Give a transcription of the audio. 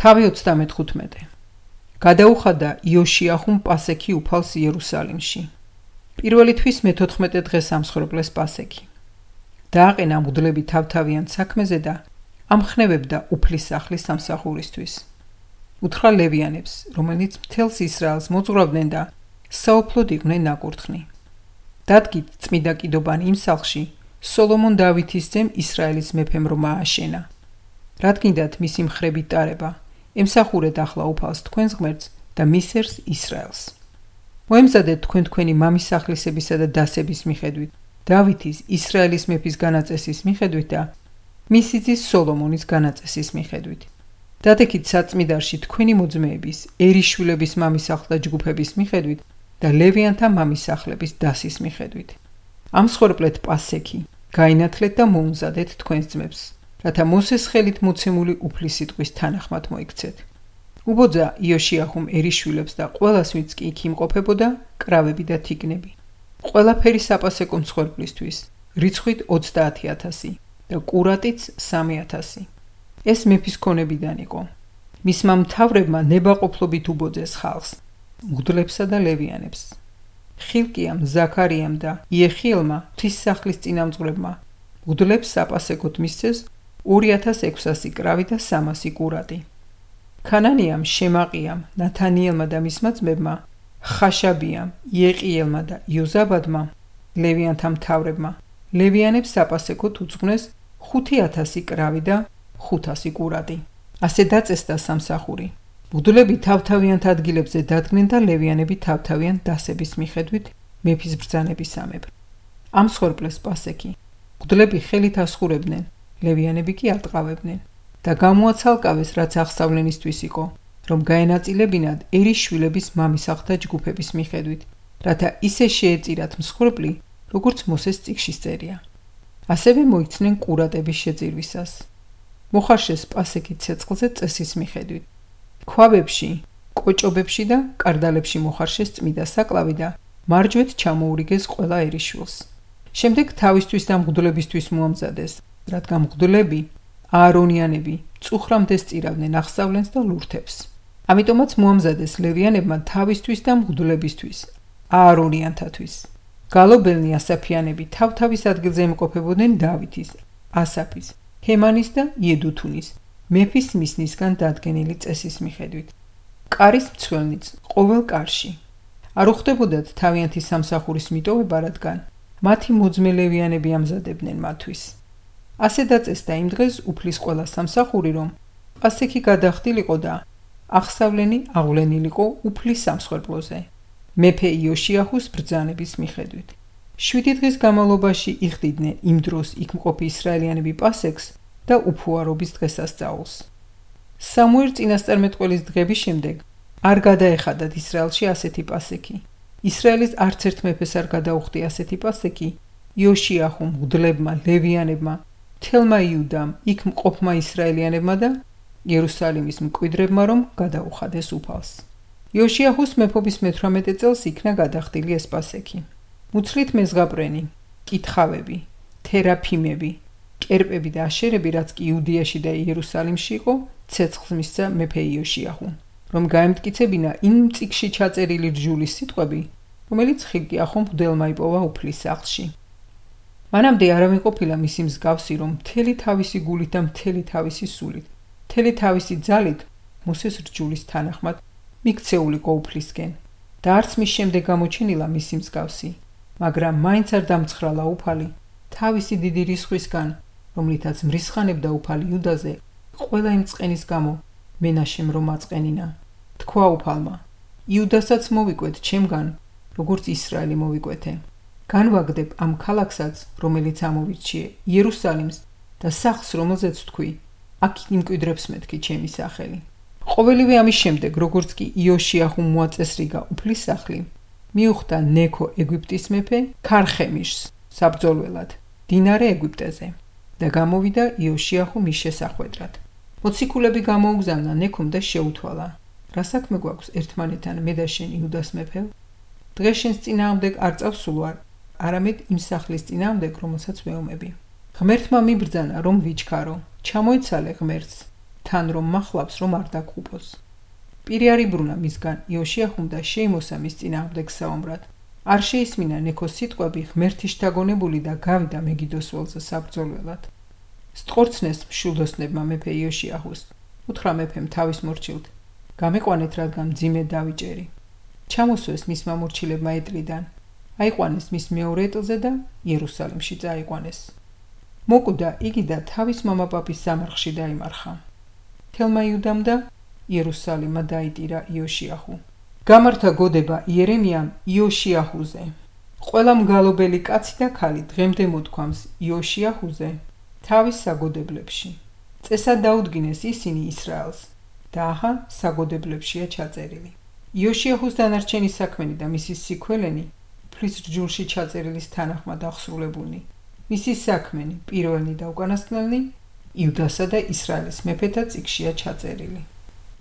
თავი 35. გადაუხადა იოშიაჰუმ პასექი უფალს იერუსალიმში. პირველი თვის მე-14 დღეს ამსხვერპლეს პასექი. დააყენა მღვდლები თავთავიან საქმეზე და ამხნევებდა უფლის სახლის სამსახურისთვის. უთხრა ლევიანებს, რომელიც მთელს ისრაელს მოძღვრავდნენ და საოფლოდ იყვნენ ნაკურთხნი. დადგით წმიდა კიდობანი იმ სახლში, სოლომონ დავითის ძემ ისრაელის მეფემ რომ ააშენა. რადგინდათ მისი მხრებით ტარება, ემსახურეთ ახლა უფალს თქვენს ღმერთს და მისერს ისრაელს. მოემზადეთ თქვენ თქვენი მამის სახლისებისა და დასების მიხედვით, დავითის ისრაელის მეფის განაწესის მიხედვით და მისი ძის სოლომონის განაწესის მიხედვით. დადექით საწმიდარში თქვენი მოძმეების, ერიშვილების მამის სახლთა ჯგუფების მიხედვით და ლევიანთა მამის სახლების დასის მიხედვით. ამსხვერპლეთ პასექი, გაინათლეთ და მოუმზადეთ თქვენს ძმებს, რათა მოსეს ხელით მოცემული უფლის სიტყვის თანახმად მოიქცეთ. უბოძა იოშიაჰუმ ერიშვილებს და ყველას, ვინც კი იქ იმყოფებოდა, კრავები და თიგნები. ყველაფერი საპასეკო მსხვერპლისთვის, რიცხვით 30,000 და კურატიც 3,000. ეს მეფის ქონებიდან იყო. მისმა მთავრებმა ნებაყოფლობით უბოძეს ხალხს, მღვდლებსა და ლევიანებს. ხილკიამ, ზაქარიამ და იეხიელმა ღვთისმსახლის წინამძღვრებმა მღვდლებს საპასეკოდ მისცეს 2,600 კრავი და 300 კურატი. ქანანიამ, შემაყიამ, ნათანიელმა და მისმა ძმებმა, ხაშაბიამ, იეყიელმა და იოზაბადმა, ლევიანთა მთავრებმა, ლევიანებს საპასეკოდ უძღვნეს 5,000 კრავი და 500 კურატი. ასე დაწესდა სამსახური. მღვდლები თავთავიანთ ადგილებზე დადგნენ და ლევიანები თავთავიან დასების მიხედვით მეფის ბრძანებისამებრ. ამსხვერპლეს პასექი. მღვდლები ხელით ასხურებდნენ, ლევიანები კი ატყავებდნენ და გამოაცალკავეს, რაც აღსავლენისთვის იყო, რომ გაენაწილებინათ ერიშვილების მამის სახლთა ჯგუფების მიხედვით, რათა ისე შეეწირათ მსხვერპლი, როგორც მოსეს წიგში წერია. ასევე მოიცნენ კურატების შეძირვისას. მოხარშეს პასექი ცეცხლზე წესის მიხედვით. ქვაბებში, კოჭობებში და კარდალებში მოხარშეს წმიდა საკლავი და მარჯვეთ ჩამოურიგეს ყველა ერიშვილს. შემდეგ თავისთვის და მღვდლებისთვის მოამზადეს, რადგან მღვდლები, აარონიანები, წუხრამდე სწირავდნენ აღსავლენს და ლურთებს. ამიტომაც მოამზადეს ლევიანებმა თავისთვის და მღვდლებისთვის, აარონიანთათვის. გალობელნი ასაფიანები თავთავის ადგილზე იმყოფებოდნენ დავითის, ასაფის, ჰემანის და იედუთუნის, მეფის მისნისგან დადგენილი წესის მიხედვით. კარის მცველნიც ყოველ კარში. არ უხდებოდათ თავიანთი სამსახურის მიტოვება, რადგან მათი მოძმე ლევიანები ამზადებდნენ მათთვის. ასე დაწესდა იმ დღეს უფლის ყველა სამსახური, რომ პასექი გადახდილიყო და აღსავლენი აღვლენილიყო უფლის სამსხვერპლოზე, მეფე იოშიაჰუს ბრძანების მიხედვით. 7 დღის განმავლობაში იხდიდნენ იმ დროს იქ მყოფი ისრაელიანები პასექს და უფუარობის დღესასწაულს. სამუელ წინასწარმეტყველის დღების შემდეგ არ გადაეხადათ ისრაელში ასეთი პასექი. ისრაელის არც ერთ მეფეს არ გადაუხდი ასეთი პასექი იოშიაჰუმ, მღვდლებმა, ლევიანებმა, მთელმა იუდამ, იქ მყოფმა ისრაელიანებმა და იერუსალიმის მკვიდრებმა, რომ გადაუხადეს უფალს. იოშიაჰუს მეფობის მე-18 წელს იქნა გადახდილი ეს პასექი. მუცლით მეზღაპრენი, კითხავები, თერაფიმები, კერპები და აშერები, რაც კი იუდიაში და იერუსალიმში იყო, ცეცხლს მისცა მეფე იოშიაჰუ, რომ გაემტკიცებინა იმ წიგში ჩაწერილი რჯულის სიტყვები, რომელიც ხილკიაჰომ მღვდელმა იპოვა უფლის სახლში. მანამდე არავინ ყოფილა მისი მსგავსი, რომ მთელი თავისი გულით და მთელი თავისი სულით, მთელი თავისი ძალით მოსეს რჯულის თანახმად მიქცეულიყო უფლისკენ და არც მის შემდეგ გამოჩენილა მისი მსგავსი, მაგრამ მაინც არ დამცხრალა უფალი თავისი დიდი რისხვისგან, რომლითაც მრისხანებდა უფალი იუდაზე, ყველა იმ წყენის გამო მენაშემ რომ აწყენინა. თქვა უფალმა, იუდასაც მოვიკვეთ ჩემგან, როგორც ისრაელი მოვიკვეთე. განვაგდებ ამ ქალაქსაც, რომელიც ამოვირჩიე, იერუსალიმს და სახლს, რომელზეც თქვი, აქ იმკვიდრებს მეთქი ჩემი სახელი. ყოველივე ამის შემდეგ, როგორც კი იოშიაჰუმ მოაწესრიგა უფლის სახლი, მიუხვდა ნექო ეგვიპტის მეფე ქარხემიშს საბრძოლველად დინარე ეგვიპტეზე და გამოვიდა იოშიაჰუ მის შესახვედრად. მოციქულები გამოუგზავნა ნექომ და შეუთვალა, რა საქმე გვაქვს ერთმანეთთან მე და შენ იუდას მეფე? დღეს შენს წინააღმდეგ არ წავსულვარ, არამედ იმ სახლის წინააღმდეგ, რომელსაც ვეომები. ღმერთმა მიბრძანა, რომ ვიჩქარო, ჩამოეცალე ღმერთს. თან რომ მახლავს რომ არ დაგხუპოს. პირი არ იბრუნა მისგან იოშიაჰუმ და შეიმოსა მის წინააღმდეგ საომრად. არ შეისმინა ნექოს სიტყვები ღმერთის შთაგონებული და გავიდა მეგიდოს ველზე საბრძოლველად. სტყორცნეს მშვილდოსნებმა მეფე იოშიაჰუს. უთხრა მეფემ თავის მორჩილთ, გამეყვანეთ რადგან მძიმე დავიჭერი. ჩამოსვეს მისმა მორჩილებმა ეტლიდან, აიყვანეს მის მეორე ეტლზე და იერუსალიმში წაიყვანეს. მოკვდა იგი და თავის მამაპაპის სამარხში დაიმარხა. თელმა იუდამ და იერუსალიმმა დაიტირა იოშიაჰუ. გამართა გოდება იერემიამ იოშიაჰუზე. ყველა მგალობელი კაცი და ქალი დღემდე მოთქვამს იოშიაჰუზე თავის საგოდებლებში. წესად დაუდგინეს ისინი ისრაელს და ახლა საგოდებლებშია ჩაწერილი. იოშიაჰუს დანარჩენი საქმენი და მისი სიქველენი უფლის რჯულში ჩაწერილის თანახმად აღსრულებულნი. მისი საქმენი პირველნი და უკანასკნელნი იუდასა და ისრაელის მეფეთა წიგნშია ჩაწერილი.